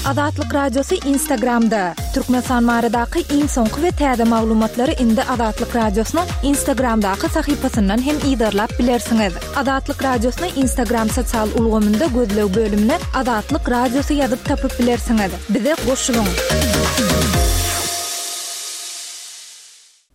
Azatlyk Radiosy Instagramda! Türkmenistan baradaky iň soňky we täze maglumatlary indi Azatlyk Radiosynyň Instagramdaky sahypasyndan hem yzarlap bilersiňiz. Azatlyk Radiosyny Instagram sosial ulgamynda gözleg bölümine Azatlyk Radiosy ýazyp tapyp bilersiňiz. Bize goşulyň!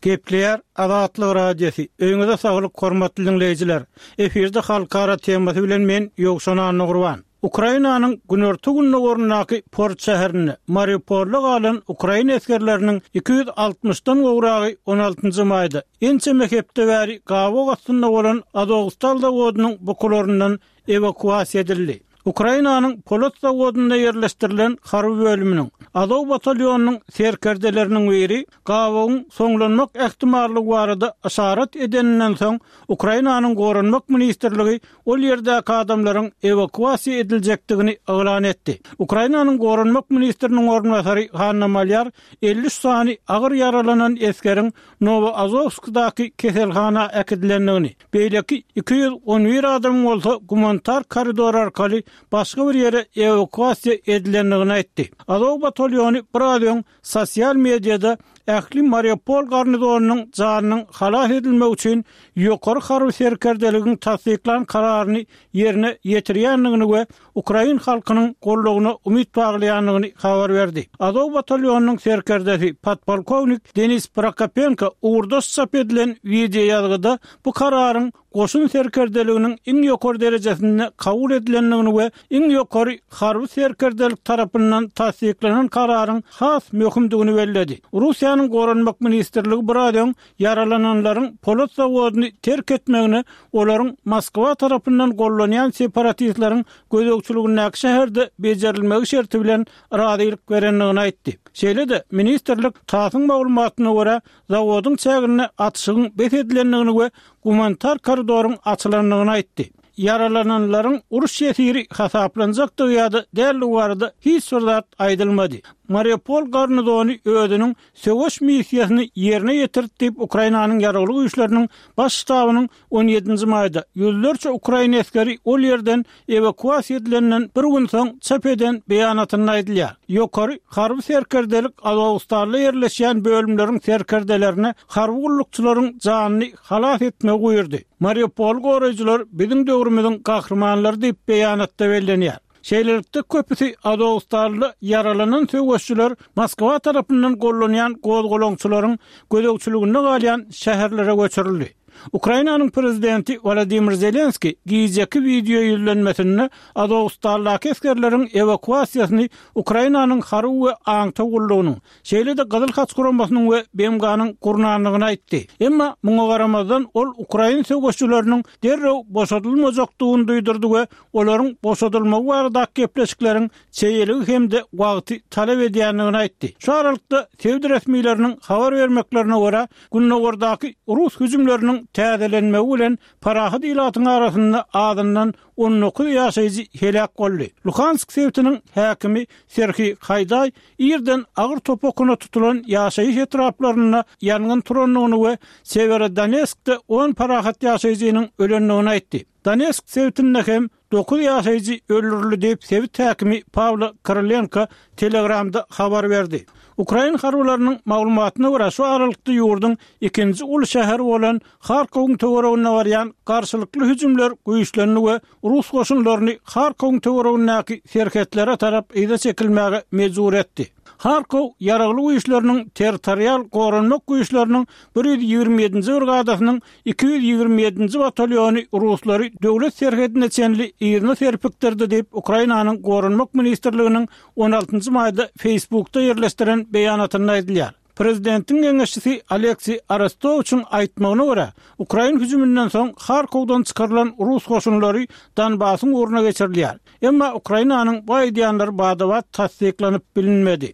Gepleýär Azatlyk Radiosy, Öýüňize saglyk hormatly diňleýjiler! Efirde Halkara temasy bilen men Ýowşan Annagurban. Ukrainanyň günorta-gündogaryndaky port şäherinde, Mariupolda galan ukrain esgerleriniň 260-dan gowragy on altynjy maýda, ençeme hepde bäri gabaw astynda bolan Azowstal zawodynyň bukularyndan ewakuasiýa edildi. Ukrainanyň polat zawodynda ýerleşdirilen harby bölüminiň, Azow batalýonynyň serkerdeleriniň biri gabawyň soňlanmak ähtimallygy barada yşarat edeninden soň, Ukrainanyň Goranmak ministrligi ol ýerdäki adamlaryň ewakuasiýa ediljekdigini yglan etdi. Ukrainanyň Goranmak ministriniň orunbasary Hanna Malýar 53 sany agyr ýaralanan esgeriň Nowoazowskdaky keselhana äkidilendigini, beýleki 211 adamyň bolsa gumanitar koridor arkaly başga bir ýere ewakuasiýa edilendigini aýtdy. Azow batalýony biraz öň sosial mediada ähli Mariupol garnizonynyň janynyň halas edilmegi üçin ýokary harby serkerdeligiň tassyklan kararyny ýerine ýetirýändigini we ukrain halkynyň goldawyna umyt baglaýandygyny habar berdi. Azow batalýonynyň serkerdesi, podpolkownik Denis Prokopenko ugurdaş çap edilen wideoýazgyda bu kararyň goşun serkerdeliginiň iň ýokary derejesinde kabul edilendigini we iň ýokary harby serkerdelik tarapyndan tassyklanan kararyň has möhümdigini belledi. Russiýanyň Goranmak ministrligi biraz öň ýaralananlaryň polat zawodyny terk etmegine olaryň Moskwa tarapyndan gollanýan separatistleriň gözegçiligindäki şäherde bejerilmegi şerti bilen razylyk berendigini aýtdy. Şeýle-de, ministrlik TASS-yň maglumatyna görä, zawodyň çäginde atyşygyň bes edilendigini we gumanitar koridoryň açylandygyny aýtdy. Ýaralananlaryň uruş ýesiri hasaplanjakdygy ýa-da däldigi barada hiç bir zat aýdylmady. Mariupol garnizony özüniň söweş missiýasyny ýerine ýetirdi diýip, Ukrainanyň Ýaragly Güýçleriniň Baş ştabynyň on ýedinji maýda ýüzlerçe ukrain esgeri ol ýerden ewakuasiýa edilenden bir gün soň çap eden beýanatynda aýdylýar. Ýokary harby serkerdelik Azowstalda ýerleşýän bölümleriň serkerdelerine harby gullukçylaryň janyny halas etmegi buýurdy. Mariupoly goraýjylar biziň döwrümiziň gahrymanlary diýip beýanatda bellenýär. Şeýlelikde, köpüsi Azowstalda ýaralanan söweşçiler Moskwa tarapyndan gollanýan gozgalaňçylaryň gözegçiliginde galýan şäherlere göçürildi. Ukrainanyň prezidenti Wolodymyr Zelenskiý gijeki wideo ýüzlenmesinde Azowstaldaky esgerleriň ewakuasiýasyny Ukrainanyň harby we aňtaw gullugynyň, şeýle-de Gyzyl Haç guramasynyň we BMG-niň gurnandygyny aýtdy. Emma muňa garamazdan, ol ukrain söweşçileriniň derrew boşadylmajakdygyny duýdurdy we olaryň boşadylmagy baradaky gepleşikleriň çeýeligi hem-de wagty talap edýändigini aýtdy. Şu aralykda, sebit resmileriniň habar bermeklerine görä, gündogardaky rus hüjümleriniň täzelenmegi bilen parahat ilatyň arasynda azyndan 19 ýaşaýjy heläk boldy. Luhansk sebitiniň häkimi Serhiý Haýdaý irden agyr top okuna tutulan ýaşaýyş etraplarynda ýangyn turandygyny we Sewerodonetskde on parahat ýaşaýjynyň ölendigini aýtdy. Donetsk sebitinde hem dokuz ýaşaýjy öldürildi diýip, sebit häkimi Pawlo Krylenko Telegramda habar berdi. Ukrain harbylarynyň maglumatyna görä, şu aralykda ýurduň ikinji uly şäheri bolan Harkowyň töwereginde barýan garşylykly hüjümler güýçlendi we rus goşunlaryny Harkowyň töweregindäki serhetlere tarap yza çekilmäge mejbur etdi. Harkow Ýaragly Güýçleriniň territorial goranmak güýçleriniň 127-nji brigadasynyň 227-nji batalýony ruslary döwlet serhedine çenli yzyna serpikdirdi diýip, Ukrainanyň Goranmak ministrliginiň on altynjy maýda Facebookda ýerleşdiren beýanatynda aýdylýar. Prezidentiň geňeşçisi Aleksiý Arestowiçiň aýtmagyna görä, ukrain hüjüminden soň Harkowdan çykarylan rus goşunlary Donbasyň ugruna geçirilýär. Emma Ukrainanyň bu aýdýanlary bada-bat tassyklanyp bilinmedi.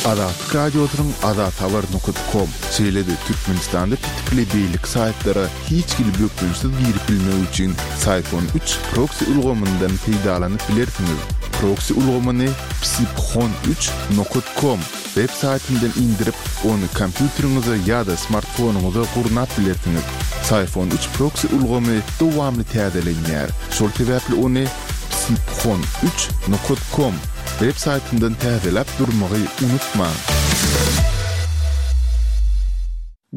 Azatlyk Radiosynyň azathabar nokat kom, şeýle-de Türkmenistanda petikli beýleki saýtlara hiç hili bökdençsiz girip bilmek üçin Syphon üç proksi ulgamyndan peýdalanyp bilersiňiz. Proksi ulgamyny psiphon üç nokat kom web saýtyndan indirip, ony kompýuteriňize ýa-da smartfonyňyza gurnap bilersiňiz. Syphon üç proksi ulgamy dowamly täzelenýär, şol sebäpli ony. Psiphon üç nokat kom web saýtyndan täzeläp durmagy unutmaň.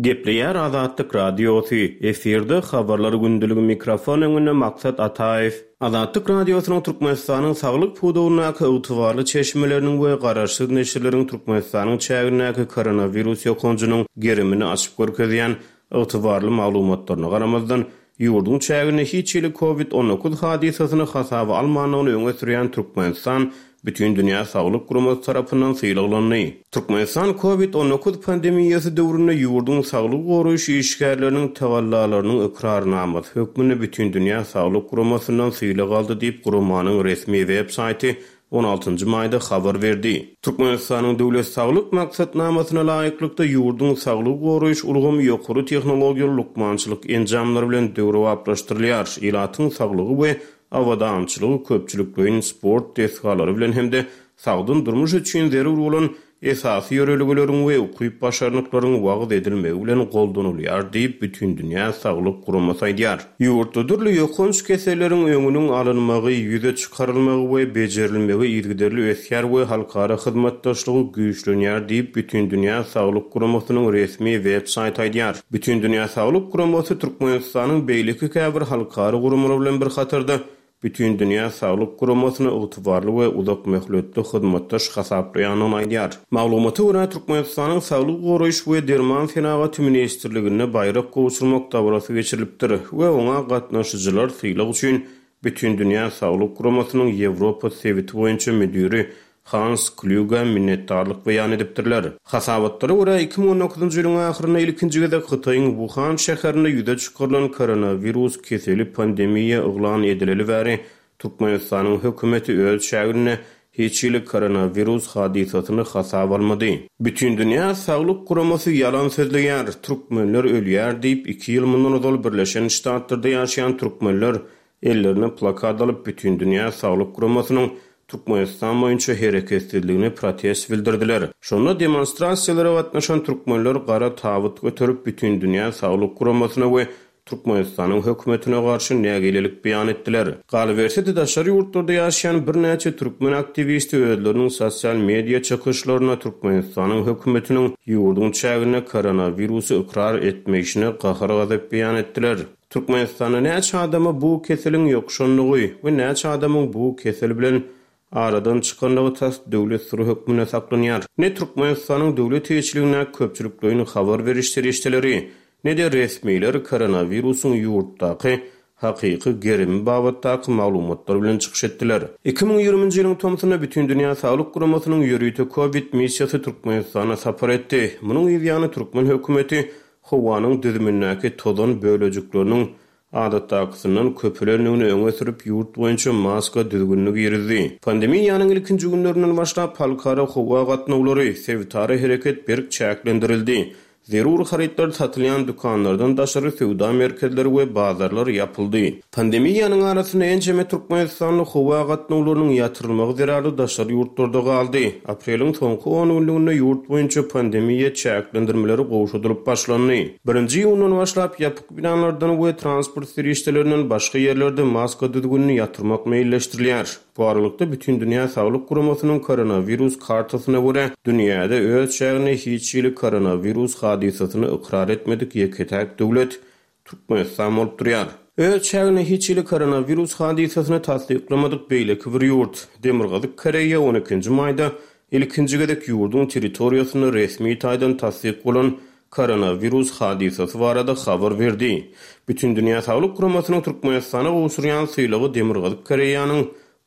Gepleýär Azatlyk Radiosy, efirde Habarlar gündeligi mikrofon öňünde Maksat Ataýew. Azatlyk Radiosynyň Türkmenistanyň saglyk pudagyndaky ygtybarly çeşmeleriniň we garaşsyz neşirleriň Türkmenistanyň çägindäki koronawirus ýokanjynyň gerimini açyp görkezýän ygtybarly maglumatlaryna garamazdan, ýurduň çäginde hiç hili Covid 19 hadysasyny hasaba almandygyny öňe sürýän Türkmenistan Bütindünýä Saglyk Guramasy tarapyndan sylaglandy. Türkmenistan Covid 19 pandemiýasy döwründe ýurduň saglygy goraýyş işgärleriniň tagallalarynyň ykrarnamasy hökmünde Bütindünýä Saglyk Guramasyndan sylag aldy diýip, guramanyň resmi web saýty on altynjy maýda habar berdi. Türkmenistanyň Döwlet saglyk maksatnamasyna laýyklykda, ýurduň saglygy goraýyş ulgamy ýokary tehnologiýaly lukmançylyk enjamlary bilen döwrebaplaşdyrylýar, ilatyň saglygy we abadançylygy köpçülikleýin sport desgalary bilen hem-de sagdyn durmuş üçin zerur bolan esasy ýörelgeleriň we ukyp-başarnyklaryň wagyz edilmegi bilen goldanylýar diýip, Bütindünýä saglyk guramasy aýdýar. Ýurtda dürli ýokanç keselleriň öňüniň alynmagy, ýüze çykarylmagy we bejerilmegi yzygiderli ösýär we halkara hyzmatdaşlygy güýçlenýär diýip, Bütindünýä saglyk guramasynyň resmi web saýty aýdýar. Bütindünýä saglyk guramasy Türkmenistanyň beýleki käbir halkara guramalary bilen bir hatarda Bütindünýä Saglyk Guramasyny ygtybarly we uzak möhletli hyzmatdaş hasaplaýandygyny aýdýar. Maglumata görä, Türkmenistanyň Saglygy goraýyş we derman senagaty ministrliginde baýrak gowşurmak dabarasy geçirilipdir we oňa gatnaşyjylar sylag üçin Bütindünýä Saglyk Guramasynyň Ýewropa sebiti boýunça müdiri Hans Klýuge minnetdarlyk beýan edipdirler. Hasabatlara görä, 2019-njy ýylyň ahyrynda ilkinji gezek Hytaýyň Wuhan şäherinde ýüze çykarylan koronawirus keseli pandemiýa yglan edileli bäri Türkmenistanyň hökümeti öz çäginde hiç hili koronawirus hadysasyny hasaba almady. Bütindünýä Saglyk Guramasy ýalan sözleýär, türkmenler ölýär diýip, iki ýyl mundan ozal Birleşen Ştatlarda ýaşaýan türkmenler ellerine plakat alyp Bütindünýä Saglyk Guramasynyň Türkmenistan boýunça hereketsizligine protest bildirdiler. Şonda demonstrasiýalara gatnaşan türkmenler gara tabyt göterip Bütindünýä Saglyk Guramasyna we Türkmenistanyň hökümetine garşy nägilelik beýan etdiler. Galyberse-de daşary ýurtlarda ýaşaýan birnäçe türkmen aktiwisti özleriniň sosial media çykyşlarynda Türkmenistanyň hökümetiniň ýurduň çäginde koronawirusy ykrar etmeýşine gahar-gazap beýan etdiler. Türkmenistanda näçe adama bu keseliň ýokuşandygy we näçe adamyň bu kesel bilen aradan çykandygy tas döwlet syry hökmünde saklanýar. Ne Türkmenistanyň döwlet eýeçiligindäki köpçülikleýin habar beriş serişdeleri, ne-de resmiler koronawirusyň ýurtdaky hakyky gerimi babatdaky maglumatlar bilen çykyş etdiler. 2020-nji ýylyň tomsunda Bütindünýä Saglyk Guramasynyň ýörite kowid missiýasy Türkmenistana sapar etdi. Munuň yzýany türkmen hökümeti howanyň düzümindäki tozan bölejikleriniň adatdakysyndan köpelendigini öňe sürüp, ýurt boýunça maska düzgünini girizdi. Pandemiýanyň ilkinji günlerinden başlap, halkara howa gatnawlary, sebitara hereket berk çäklendirildi. Zerur harytlar satylýan dükanlardan daşary söwda merkezleri we bazarlar ýapyldy. Pandemiýanyň arasynda ençeme türkmenistanly howa gatnawlarynyň ýatyrylmagy zerarly daşary ýurtlarda galdy. Apreliň soňky on günlüginde ýurt boýunça pandemiýa çäklendirmeleri gowşadylyp başlandy. Birinji iýundan başlap ýapyk binalardan we transport serişdelerinden başga ýerlerde maska düzgünini ýatyrmak meýilleşdirilýär. Bu aralykda, Bütindünýä Saglyk Guramasynyň koronawirus kartasyna görä, dünýäde öz çäginde hiç hili koronawirus hadysasyny ykrar etmedik ýeke-täk döwlet Türkmenistan bolup durýar. Öz çäginde hiç hili koronawirus hadysasyny tassyklamadyk beýleki bir ýurt, Demirgazyk Koreýa on ikinji maýda ilkinji gezek ýurduň territoriýasynda resmi taýdan tassyk bolan koronawirus hadysasy barada habar berdi. Bütindünýä Saglyk Guramasynyň Türkmenistana gowşurýan sylagy Demirgazyk Koreýanyň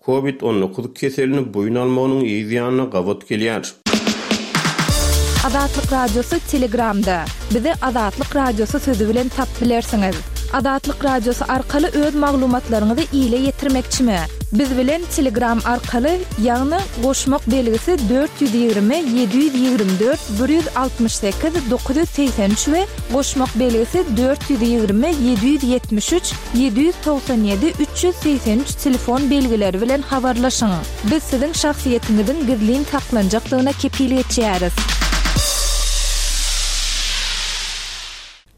Covid 19 keselini boýun almagynyň yz ýanyna gabat gelýär. Azatlyk Radiosy Telegramda. Bizi Azatlyk Radiosy sözi bilen tapyp bilersiňiz. Azatlyk Radiosy arkaly öz maglumatlaryňyzy ile ýetirmekçimi? Biz bilen Telegram arkaly, ýagny goşmak belgisi 420 724 168 983 we goşmak belgisi 420 773 797 383 telefon belgileri bilen habarlaşyň. Biz siziň şahsyýetiňiziň gizlin saklanjakdygyna kepil geçýäris.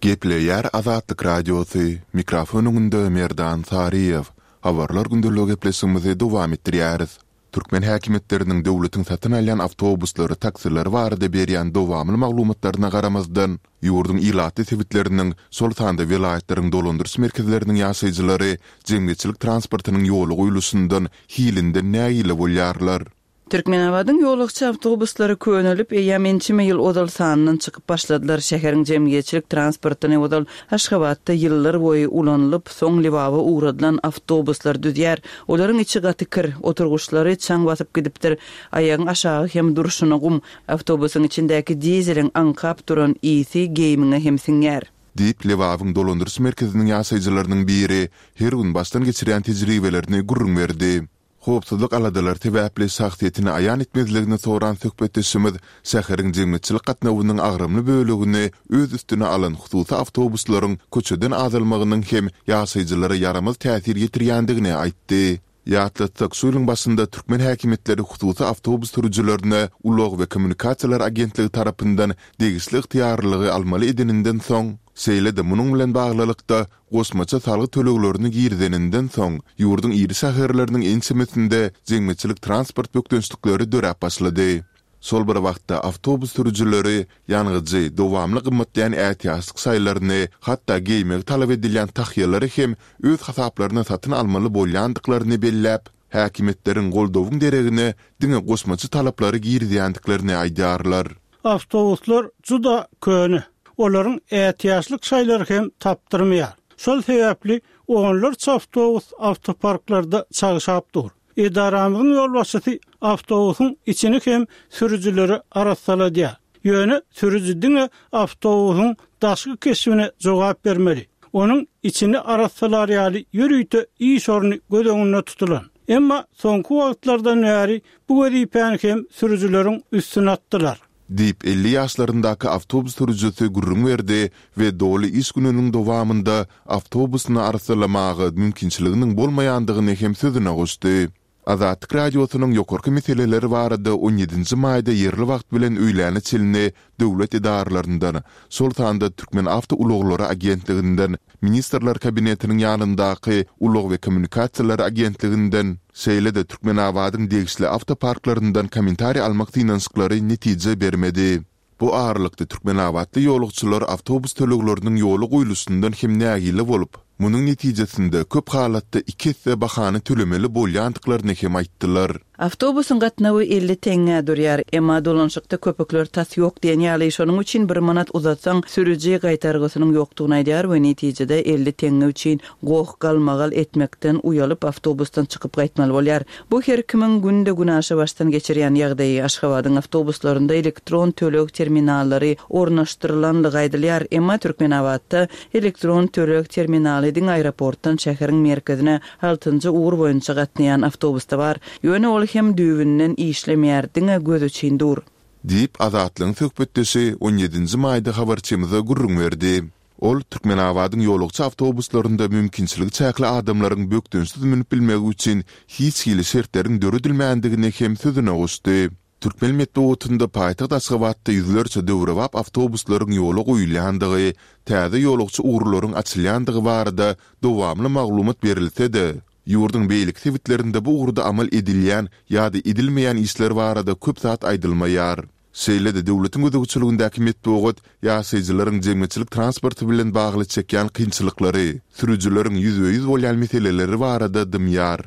Gepleýär Azatlyk Radiosy, mikrofon öňünde Merdan Saryýew. Habarlar gündeligi gepleşigimizi dowam etdirýäris. Türkmen häkimiýetleriniň döwletiň satyn alýan awtobuslary, taksileri barada berýän dowamly maglumatlaryna garamazdan, ýurduň ilatly sebitleriniň, şol sanda welaýatlaryň dolandyryş merkezleriniň ýaşaýjylary jemgyýetçilik transportynyň ýola goýluşyndan, hilinden nägile bolýarlar. Türkmenabadyň ýolagçy awtobuslary könelip, eýýäm ençeme ýyl ozal sandan çykyp başladylar. Şäheriň jemgyýetçilik transportyny ozal Aşgabatda ýyllar boýy ulanylyp, soň Lebaba ugradylan awtobuslar düzýär. Olaryň içi gaty kir, oturgyçlary çaň basyp gidipdir, aýagyň aşagy hem durşuna gum. Awtobusyň içindäki dizeliň aňkap duran ysy geýimiňe hem siňýär. Diýip, Lebabyň dolandyryş merkeziniň ýaşaýjylarynyň biri her gün başdan geçirýän tejribelerini gürrüň berdi. Howpsuzlyk aladalary sebäpli şahsyýetini aýan etmezligini soran söhbetdeşimiz şäheriň jemgyýetçilik gatnawynyň agramly bölegini öz üstüne alan hususy awtobuslaryň köçeden azalmagynyň hem ýaşaýjylara ýaramaz täsir ýetirýändigini aýtdy. Ýatlatsak, şu ýylyň başynda türkmen häkimiýetleri hususy awtobus sürüjilerine Ulag we kommunikasiýalar agentligi tarapyndan degişli ygtyýarlylygy almaly edeninden soň, şeýle-de munuň bilen baglylykda, goşmaça salgyt töleglerini girizeninden soň, ýurduň iri şäherleriniň ençemesinde jemgyýetçilik transport bökdençlikleri döräp başlady. Şol bir wagtda, awtobus sürüjileri ýangyjy, dowamly gymmatlaýan ätiýaçlyk şaýlaryny, hatda geýmegi talap edilýän tahýalary hem öz hasaplaryna satyn almaly bolýandyklaryny belläp, häkimiýetleriň goldawyň deregine diňe goşmaça talaplary girizýändiklerini aýdýarlar. Awtobuslar juda köne. Olaryň ätiýaçlyk şaýlary hem tapdyrmaýar. Şol sebäpli onlarça awtobus awtoparklarda çagşap dur. Edaramyzyň ýolbaşçysy awtobusyň içini hem sürüjilere arassaladýar. Ýöne sürüji diňe awtobusyň daşky keşbine jogap bermeli. Onuň içini arassalar ýaly ýörite iş orny göz öňünde tutulan. Emma soňky wagtlardan bäri Bu wezipäni hem sürüjileriň üstüne atdylar. Diýip, 50 ýaşlaryndaky awtobus sürüjisi gürrüň berdi we doly iş gününiň dowamynda awtobusyny arassalamaga mümkinçiliginiň bolmaýandygyny hem sözüne goşdy. Azatlyk Radiosynyň ýokarky meseleler barada on ýedinji maýda ýerli wagt bilen öýläne çenli döwlet edaralaryndan, şol sanda Türkmenawtoulaglary agentliginden, Ministrler Kabinetiniň ýanyndaky Ulag we kommunikasiýalar agentliginden, şeýle-de Türkmenabadyň degişli awtoparklaryndan kommentariý almak synanyşyklary netije bermedi. Bu aralykda türkmenabatly ýolagçylar awtobus tölegleriniň ýola goýluşyndan hem nägile bolup, munuň netijesinde köp halatda iki esse bahany tölemeli bolýandyklaryny hem aýtdylar. Awtobusyň gatnawy 50 teňňä durýar. Emma dolanyşykda köpükler tas ýok diýen ýaly, şonuň üçin bir manat uzatsaň, sürüji gaýtargysynyň ýokdugyny aýdýar we netijede 50 teňňe üçin goh-galmagal etmekden uýalyp, awtobusdan çykyp gaýtmaly bolýar. Bu her kimiň günde-günaşa başdan geçirýän ýagdaýy. Aşgabadyň awtobuslarynda elektron töleg terminallary ornaşdyrylanlygy aýdylýar. Emma Türkmenabatda elektron töleg terminaly diňe aeroportdan şäheriň merkezine altynjy ugur boýunça gatnaýan awtobusda bar. Ýöne ol hem düýbünden işlemeýär, diňe göz üçin dur. Diýip, Azatlygyň söhbetdeşi on ýedinji maýda habarçymyza gürrüň berdi. Ol Türkmenabadyň ýolagçy awtobuslarynda mümkinçiligi çäkli adamlaryň bökdençsiz münüp bilmegi üçin hiç hili şertleriň döredilmändigini hem sözüne goşdy. Türkmen metbugatynda paýtagt Aşgabatda ýüzlerçe döwrebap awtobuslaryň ýola goýulýandygy, täze ýolagçy ugurlaryň açylýandygy barada dowamly maglumat berilse-de, ýurduň beýleki sebitlerinde bu ugurda amal edilýän ýa-da edilmeýän işler barada köp zat aýdylmaýar. Şeýle-de döwletiň gözegçiligindäki metbugat ýaşaýjylaryň jemgyýetçilik transporty bilen bagly çekýän kynçylyklary, sürüjileriň ýüzbe-ýüz bolýan meseleleri barada dymýar.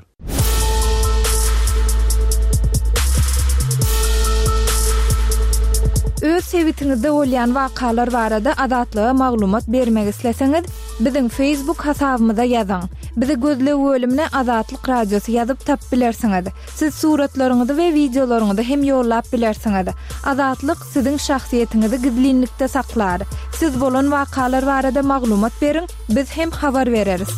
Öz sebitiňizde bolýan wakalar barada Azatlyga maglumat bermek isleseňiz, biziň Facebook hasabymyza ýazyň. Bizi gözleg bölümine Azatlyk Radiosy ýazyp tapyp bilersiňiz. Siz suratlaryňyzy we wideolaryňyzy hem ýollap bilersiňiz. Azatlyk siziň şahsyýetiňizi gizlinlikde saklar. Siz bolan wakalar barada maglumat beriň, biz hem habar bereris.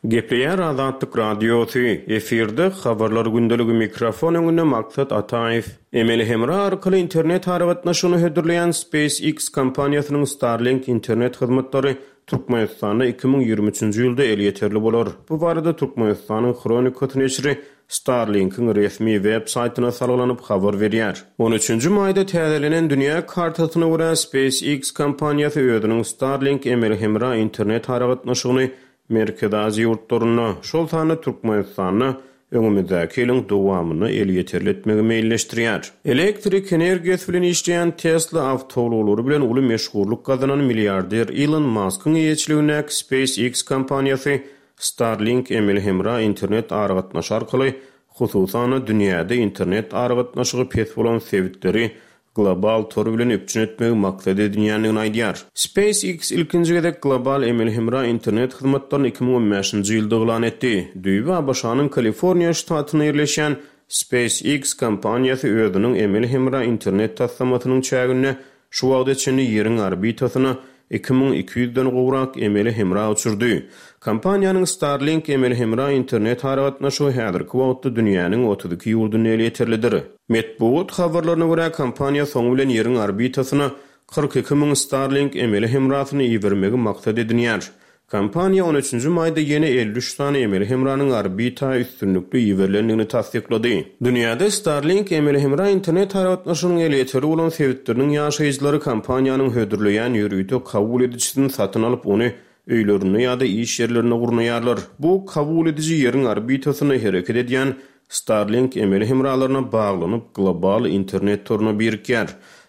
Gepleýär Azatlyk Radiosy, efirde Habarlar gündeligi mikrofon öňünde Maksat Ataýew. Emeli hemra arkaly internet aragatnaşygyny hödürleýän SpaceX kompaniýasynyň Starlink internet hyzmatlary. Türkmenistanda 2023-nji ýylda elýeterli bolar. Bu barada Türkmenistanyň Hronikasy neşiri Starlink-iň resmi web saýtyna salgylanyp habar berýär. On üçünji maýda täzelenen dünýä kartasyna görä, SpaceX kompaniýasy özüniň Starlink emeli hemra internet aragatnaşygyny Merkezi Aziýa ýurtlarynda, şol sanda Türkmenistanda öňümizdäki ýylyň dowamynda elýeterli etmegi meýilleşdirýär. Elektrik energiýasy bilen işleýän Tesla awtoulaglary bilen uly meşhurlyk gazanan milliarder Ilon Maskyň eýeçiligindäki SpaceX kompaniýasy Starlink emeli hemra internet aragatnaşy arkaly, hususan-da, dünýäde internet aragatnaşygy pes bolan sebitleri global tor bilen üpjün etmegi maksat edinýändigini aýdýar. SpaceX ilkinji gezek global emeli hemra internet hyzmatlaryny 2015-nji ýylda yglan etdi. Düýbi ABŞ-nyň Kaliforniýa ştatynda ýerleşýän SpaceX kompaniýasy özüniň emeli hemra internet taslamasynyň çäginde Şu wagta çenli Ýeriň orbitasyna 2200 den gowrak emeli hemra uçurdy. Kompaniýanyň Starlink emeli hemra internet aragatnaşygy häzirki wagtda dünýäniň 32 ýurdunda elýeterlidir. Metbugat habarlaryna görä, kompaniýa soňy bilen Ýeriň orbitasyna 42 müň Starlink emeli hemrasyny ibermegi maksat edinýär. Kompaniýa on üçünji maýda ýene 53 sany emeli hemranyň orbita üstünlikli iberilendigini tassyklady. Dünýäde Starlink emeli hemra internet aragatnaşygynyň elýeterli bolan sebitleriniň ýaşaýjylary kompaniýanyň hödürleýän ýörite kabul edijisini satyn alyp, ony öýlerinde ýa-da iş ýerlerinde gurnaýarlar. Bu kabul ediji Ýeriň orbitasynda hereket edýän Starlink emeli hemralaryna baglanyp, global internet toruna birikýär.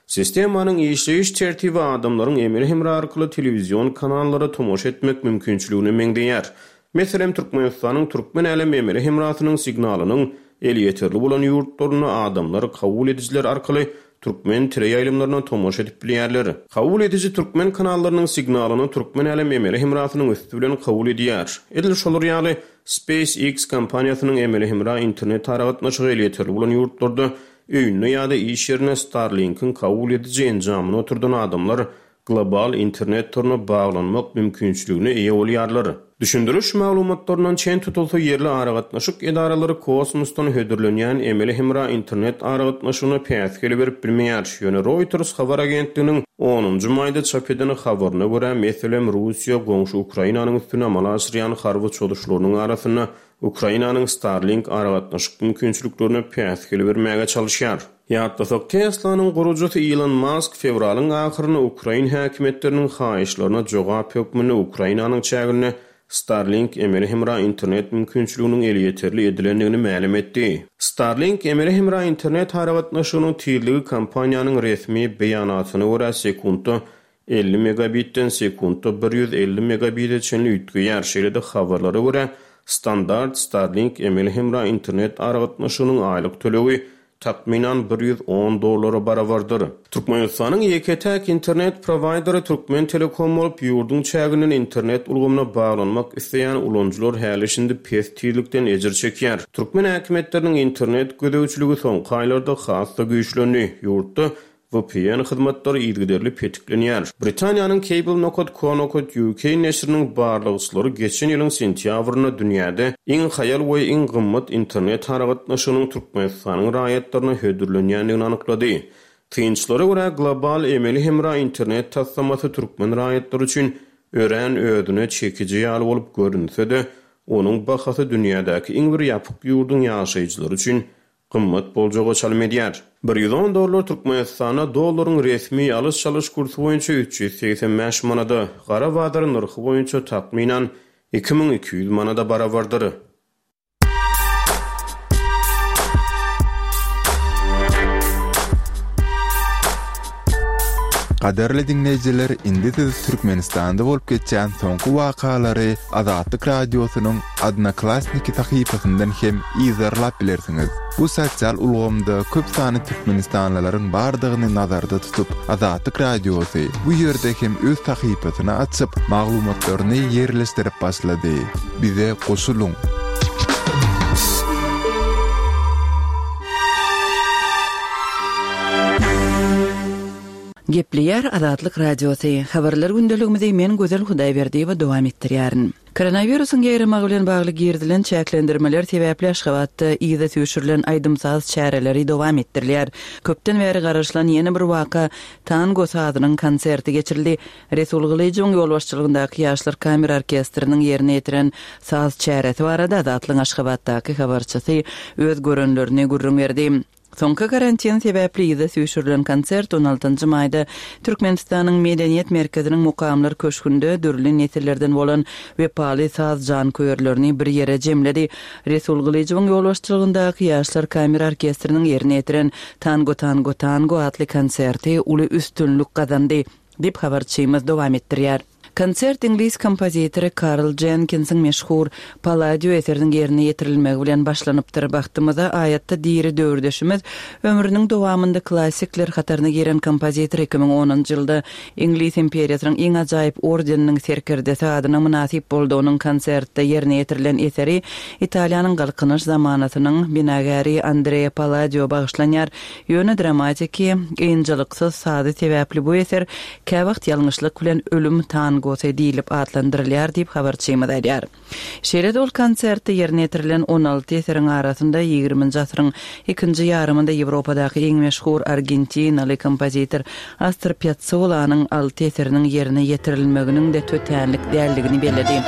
Sistemanyň işleýiş tertibi adamlaryň emeli hemra arkaly telewizion kanallara tomaşa etmek mümkinçiligine meňzeýär. Meselem, Türkmenistanyň Türkmen älem emeli hemrasynyň signalynyň elýeterli bolan ýurtlarynda adamlar kabul edijiler arkaly türkmen teleýaýlymlaryna tomaşa edip bilýärler. Kabul ediji türkmen kanallarynyň signalyny Türkmen älem emeli hemrasynyň üsti bilen kabul edýär. Edil şolar ýaly, SpaceX kompaniýasynyň emeli hemra internet aragatnaşygy elýeterli bolan ýurtlarda öýünde ýa-da iş ýerinde Starlink-iň kabul ediji enjamyny oturdan adamlar global internet toruna baglanmak mümkinçiligine eýe bolýarlar. Düşündiriş maglumatlaryndan çen tutulsa, ýerli aragatnaşyk edaralary kosmosdan hödürlenýän emeli hemra internet aragatnaşygyna päsgel berip bilmeýär. Ýöne Reuters habar agentliginiň onunjy maýda çap eden habaryna görä, meselem, Russiýa goňşy Ukrainanyň üstüne amala aşyrýan harby çozuşlarynyň arasynda Ukrainanyň Starlink aragatnaşyk mümkinçiliklerine päsgel bermäge çalyşýar. Ýatlasak, Tesla-nyň gurujysy Ilon Mask fewralyň ahyrynda ukrain häkimiýetleriniň haýyşlaryna jogap hökmünde Ukrainanyň çäginde Starlink emeli hemra internet mümkinçiliginiň elýeterli edilendigini mälim etdi. Starlink emeli hemra internet aragatnaşygynyň tizligi kompaniýanyň resmi beýanatyna görä sekuntda 50 megabitden sekuntda 150 megabite çenli üýtgeýär. Şeýle-de habarlara görä, standart Starlink emeli hemra internet aragatnaşygynyň aýlyk tölegi takmynan 110 dollara barabardyr. Türkmenistanyň ýeke-täk internet prowaýderi Türkmentelekom bolup, ýurduň çäginden internet ulgamyna baglanmak isleýän ulanyjylar häli-şindi pes tizlikden ejir çekýär. Türkmen häkimiýetleriniň internet gözegçiligi soňky aýlarda has-da güýçlendi. Ýurtda VPN hyzmatlary yzygiderli petiklenýär. Britaniýanyň Cable nokat co nokat uk neşiriniň barlagçylary geçen ýylyň sentýabrynda dünýäde iň haýal we iň gymmat internet aragatnaşygynyň Türkmenistanyň raýatlaryna hödürlenýändigini anyklady. Synçylara görä, global emeli hemra internet taslamasy türkmen raýatlary üçin örän özüne çekiji ýaly bolup görünse-de, onuň bahasy dünýädäki iň bir ýapyk ýurduň ýaşaýjylary üçin gymmat boljaga çalym edýär. 110 dollar Türkmenistanda dollaryň resmi alyş-çalyş kursy boýunça 385 manada, gara bazar nyrhy boýunça takmynan 2200 manada barabardyr. Gadyrly diňleýjiler, indi siz Türkmenistanda bolup geçýän soňky wakalary Azatlyk Radiosynyň Odnoklassniki sahypasyndan hem yzarlap bilersiňiz. Bu sosial ulgamda köp sanly türkmenistanlylaryň bardygyny nazarda tutup, Azatlyk Radiosy bu ýerde hem öz sahypasyny açyp, maglumatlaryny ýerleşdirip başlady. Bize goşulyň! Gepleýär Azatlyk Radiosy, Habarlar gündeligimizi men Gözel Hudaýberdiýewa dowam etdirýärin. Koronawirusyň ýaýramagy bilen bagly girizilen çäklendirmeler sebäpli Aşgabatda yza süýşürilen aýdym-saz çäreleri dowam etdirilýär. Köpden bäri garaşylan ýene bir waka, tango sazynyň konserti geçirildi. Resul Gylyjowyň ýolbaşçylygyndaky Ýaşlar kamera orkestriniň ýerine ýetiren saz çäresi barada Azatlygyň Aşgabatdaky habarçysy öz görenlerini gürrüň berdi. Soňky karantin sebäpli yza süýşürilen konsert on altynjy maýda Türkmenistanyň Medeniýet merkeziniň Mukamlar köşgünde dürli nesillerden bolan wepaly saz janköýerlerini bir ýere jemledi. Resul Gylyjowyň ýolbaşçylygyndaky Ýaşlar kamera orkestriniň ýerine ýetiren Tango tango tango atly konserti uly üstünlik gazandy, diýip habarçymyz dowam etdirýär. Konsert iňlis kompozitory Karl Jenkinsiň meşhur Palladio eseriniň ýerine ýetirilmegi bilen başlanypdyr. Bagtymyza, aýatda diri döwürdeşimiz, ömrüniň dowamynda klassikler hataryna giren kompozitor 2010-njy ýylda Iňlis imperiýasynyň iň ajaýyp ordeniniň serkerdesi adyna mynasyp boldy. Onuň konsertde ýerine ýetirilen eseri Italiýanyň Galkynyş zamanasynyň binagäri Andrea Palladio bagyşlanýar. Ýöne dramatiki, ynjalyksyz sazy sebäpli bu eser käwagt ýalňyşlyk bilen Ölüm tangosy diýlip atlandyrylýar diýip, habarçymyz aýdýar. Şeýle-de ol konsertde ýerine ýetirilen 16 eseriň arasynda ýigriminji asyryň ikinji ýarymynda Ýewropadaky iň meşhur argentinaly kompozitor Astor Piazzolanyň alty eseriniň ýerine ýetirilmeginiň-de tötänlik däldigini belledi.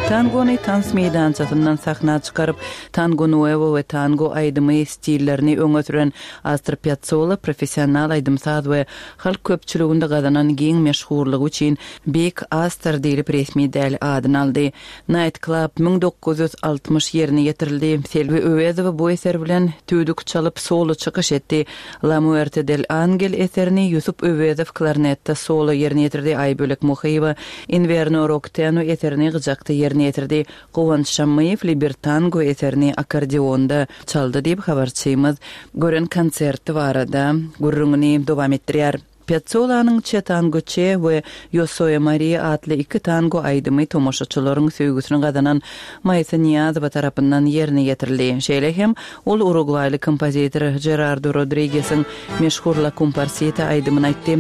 Tangony tans meýdançasyndan sahna çykaryp, Tango Nuevo we tango aýdymy stillerini öňe süren Astor Piazzolla professional aýdym-saz we halk köpçüliginde gazanan giň meşhurlygy üçin Beýik Astor diýlip resmi däl adyny aldy. Night Club 1960 ýerine ýetirildi. Selbi Öwezowa bu eser bilen tüýdük çalyp solo çykyş etdi. La Muerte del Angel eserini Ýusup Öwezow klarnetde solo ýerine ýetirdi, Aýbölek Muhyýewa Inverno Rokteno eserini gyjakda ýerine ýetirdi. Guwanç Şammyýew Libertango eserini akkordeonda çaldy diýip, habarçymyz gören konserti barada gürrüňini dowam etdirýär. Piazzolanyň Che Tango Che we Yo Soy Maria atly iki tango aýdymy tomaşaçylaryň söýgüsini gazanan Maýsa Nyýazowa tarapyndan ýerine ýetirildi. Şeýle hem ol urugwaýly kompozitor Žerardo Rodrigesiň meşhur La Cumparsita aýdymyny aýtdy.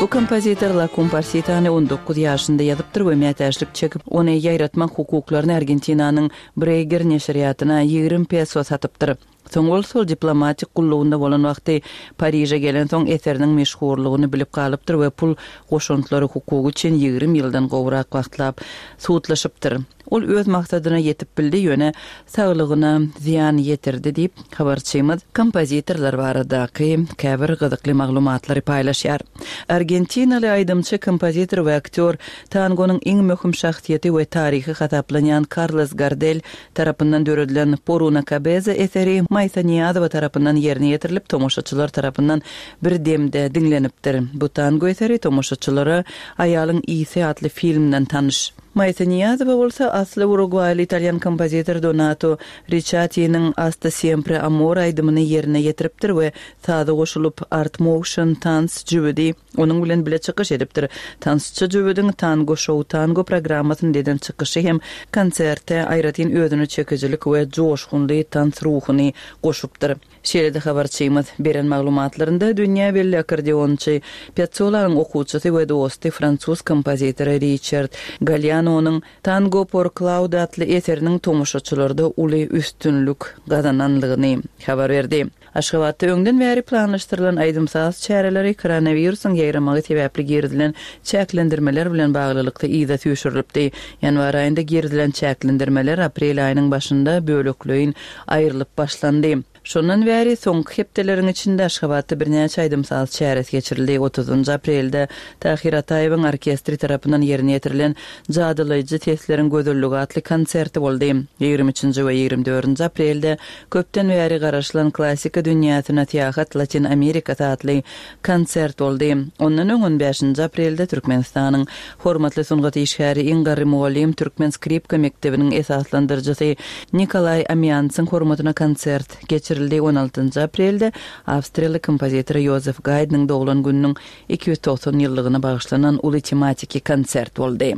Bu kompozitor La Cumparsitany 19 ýaşynda ýazypdyr we mätäçlik çekip, ony ýaýratmak hukuklaryny Argentinanyň Breýger neşirýatyna 20 peso satypdyr. Soň bolsa ol diplomatik gullugynda bolan wagty Pariže gelensoň eseriniň meşhurlygyny bilip galypdyr we pul goşantlary hukugy üçin 20 ýyldan gowrak wagtlap sudlaşypdyr. Ol öz maksadyna ýetip bildi, ýöne saglygyna zyýan ýetirdi diýip, habarçymyz kompozitorlar baradaky käbir gyzykly maglumatlary paýlaşýar. Argentinaly aýdymçy, kompozitor we aktýor, tangonyň iň möhüm şahsyýeti we taryhy hasaplanýan Karlos Gardel tarapyndan döredilen Por una cabeza eseri Maýsa Nyýazowa tarapyndan ýerine ýetirilip, tomaşaçylar tarapyndan bir demde diňlenipdir. Bu tango eseri tomaşaçylara Aýalyň ysy atly filmden tanyş. Maýsa Nyýazowa bolsa asly urugwaýly italýan kompozitor Donato Riçatiniň Hasta siempre amor aýdymyny ýerine ýetiripdir we saza goşulyp Art Motion tans jübüdi onuň bilen bile çykyş edipdir. Tansçy jübüdiň Tango Show Tango programmasynda eden çykyşy hem konserte aýratyn özüne çekijilik we joşgunly tans ruhuny goşupdyr. Şeýle-de habarçymyz beren maglumatlarynda dünýä belli akkordeonçy Piazzolanyň okuwçysy we dosty fransuz kompozitory Riçard Gallianonyň Tango por Claude atly eseriniň tomaşaçylarda uly üstünlik gazananlygyny habar berdi. Aşgabatda öňden bäri planlaşdyrylan aýdym-saz çäreleri koronawirusyň ýaýramagy sebäpli girizilen çäklendirmeler bilen baglylykda yza süýşürilipdi. Ýanwar aýynda girizilen çäklendirmeler aprel aýynyň başynda bölekleýin aýrylyp başlandy. Şondan bäri soňky hepdeleriň içinde Aşgabatda birnäçe aýdym-saz çäresi geçirildi. Otuzynjy aprelde Tahyr Ataýewiň orkestri tarapyndan ýerine ýetirilen Jadylaýjy sesleriň gözelligi atly konserti boldy. Ýigrimi üçünji we ýigrimi dördünji aprelde köpden bäri garaşylan Klassika dünýäsine syýahat Latyn Amerikasy atly konsert boldy. Ondan öň on bäşinji aprelde Türkmenistanyň Hormatly sungat işgäri, iň garry mugallym, türkmen skripka mekdebiniň esaslandyryjysy Nikolaý Amiansyň hormatyna konsert geçirildi. On altynjy aprelde awstriýaly kompozitor Ýozef Gaýdnyň doglan gününiň 290 ýyllygyna bagyşlanan uly tematiki konsert boldy.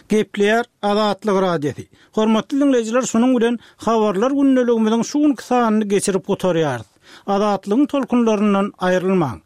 Gepleýär Azatlyk Radiosy. Hormatly diňleýjiler şunuň bilen Habarlar gündeligimiziň şu günki sanyny geçirip gutarýarys. Azatlygyň tolkunlaryndan aýrylmaň.